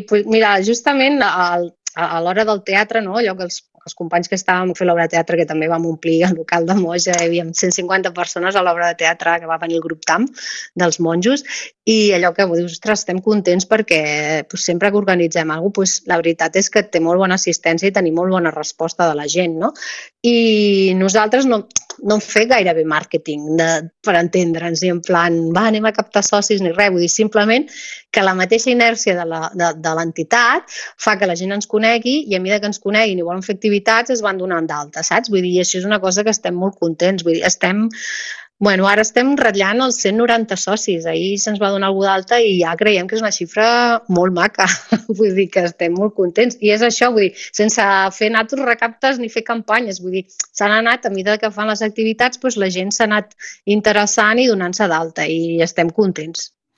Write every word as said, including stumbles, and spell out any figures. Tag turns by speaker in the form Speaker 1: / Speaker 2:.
Speaker 1: pues mira, justament al, a l'hora del teatre, no? Allò que els, els companys que estàvem a fer l'obra de teatre, que també vam omplir el local de Moja, hi havia cent cinquanta persones a l'obra de teatre que va venir el grup T A M dels monjos, i allò que dius, ostres, estem contents perquè pues, sempre que organitzem alguna cosa, pues, la veritat és que té molt bona assistència i tenim molt bona resposta de la gent, no? I nosaltres no, no hem fet gairebé màrqueting de, per entendre'ns, ni en plan, va, anem a captar socis ni res, vull dir, simplement que la mateixa inèrcia de la, de, de l'entitat fa que la gent ens conegui i a mesura que ens coneguin i volen fer activitats es van donant d'alta, saps? Vull dir, i això és una cosa que estem molt contents, vull dir, estem... Bueno, ara estem ratllant els cent noranta socis, ahir se'ns va donar algú d'alta i ja creiem que és una xifra molt maca, vull dir que estem molt contents. I és això, vull dir, sense fer natos recaptes ni fer campanyes, vull dir, s'han anat, a mesura que fan les activitats, doncs la gent s'ha anat interessant i donant-se d'alta i estem contents.